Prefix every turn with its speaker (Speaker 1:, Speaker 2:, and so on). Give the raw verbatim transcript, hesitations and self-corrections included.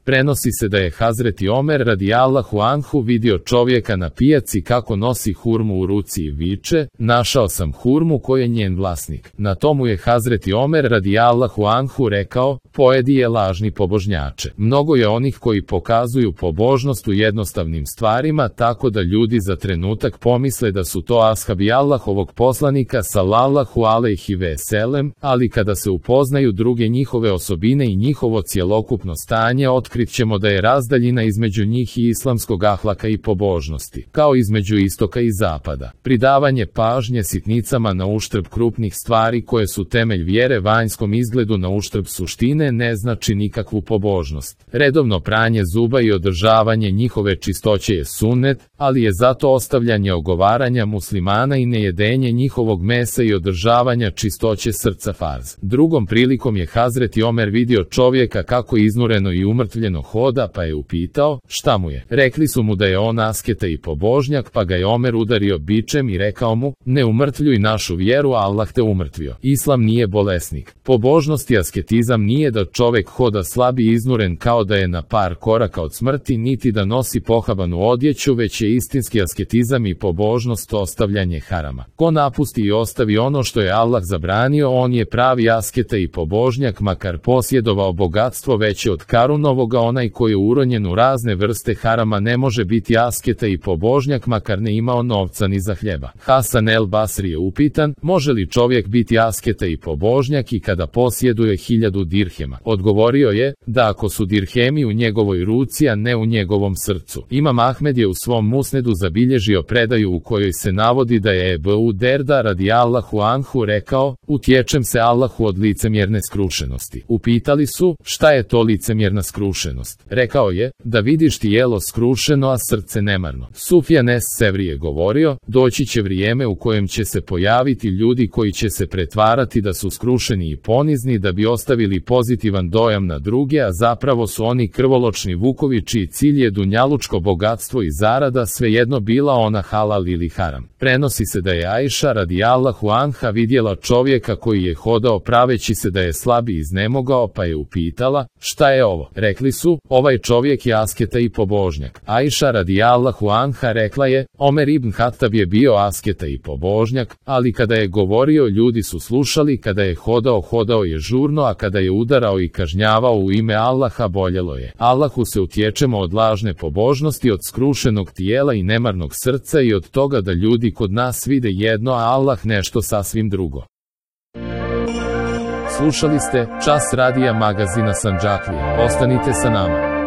Speaker 1: Prenosi se da je Hazreti Omer radijallahu anhu vidio čovjeka na pijaci kako nosi hurmu u ruci i viče: našao sam hurmu koju je njen vlasnik. Na tomu je Hazreti Omer radijallahu anhu rekao: pojedi je lažni pobožnjače. Mnogo je onih koji pokazuju pobožnost u jednostavnim stvarima tako da ljudi za trenutak pomisle da su to ashabi Allahovog poslanika sallallahu alejhi ve selem, ali kada se upoznaju druge njihove osobine i njihovo cjelokupno stanje, otkrit ćemo da je razdaljina između njih i islamskog ahlaka i pobožnosti, kao između istoka i zapada. Pridavanje pažnje sitnicama na uštrb krupnih stvari koje su temelj vjere vanjskom izgledu na uštrb suštine ne znači nikakvu pobožnost. Redovno pranje zuba i održavanje njihove čistoće je sunnet, ali je zato ostavljanje ogovaranja muslimana i nejedenje njihovog mesa i održavanja čistoće srca farz. Drugom prilikom je Hazreti Omer vidio čovjeka kako iznureno i umrtvljeno hoda, pa je upitao šta mu je. Rekli su mu da je on asketa i pobožnjak, pa ga je Omer udario bičem i rekao mu: ne umrtvljuj našu vjeru, Allah te umrtvio. Islam nije bolesnik. Pobožnost i asketizam nije da čovjek hoda slab i iznuren kao da je na par koraka od smrti, niti da nosi pohabanu odjeću, već je istinski asketizam i pobožnost ostavljanje harama. Ko napusti i ostavi ono što je Allah zabranio, on je pravi asketa i pobožnjak, makar posjedovao bogatstvo veće od Karunovoga. Onaj koji je uronjen u razne vrste harama ne može biti asketa i pobožnjak, makar ne imao novca ni za hljeba. Hasan el Basri je upitan: može li čovjek biti asketa i pobožnjak i kada posjeduje hiljadu dirhema? Odgovorio je: da, ako su dirhemi u njegovoj ruci, a ne u njegovom srcu. Imam Ahmed je u svom musnedu zabilježio predaju u kojoj se navodi da je Ebu Derda radijallahu anhu rekao: utječem se Allahu od licemjerne skrušenosti. Upitali su: šta je to licemjerna skrušenost? Rekao je: da vidiš tijelo skrušeno, a srce nemarno. Sufjan es Sevri je govorio: doći će vrijeme u kojem će se pojaviti ljudi koji će se pretvarati da su skrušeni i ponizni da bi ostavili pozitivan dojam na druge, a zapravo su oni krvoločni vukovi čiji cilj je dunjalučko bogatstvo i zarada, svejedno bila ona halal ili haram. Prenosi se da je Ajša radijallahu anha vidjela čovjeka koji je hodao praveći se da je slab i iznemogao, pa je upitala: šta je ovo? Rekli su: ovaj čovjek je asketa i pobožnjak. Ajša radijallahu anha rekla je: Omer ibn Hatab je bio asketa i pobožnjak, ali kada je govorio ljudi su slušali, kada je hodao hodao je žurno, a kada je udarao i kažnjavao u ime Allaha boljelo je. Allahu se utječemo od lažne pobožnosti, od skrušenog tijela i nemarnog srca i od toga da ljudi kod nas vide jedno, a Allah nešto sasvim drugo. Slušali ste Čas radija magazina Sandžaklija. Ostanite sa nama.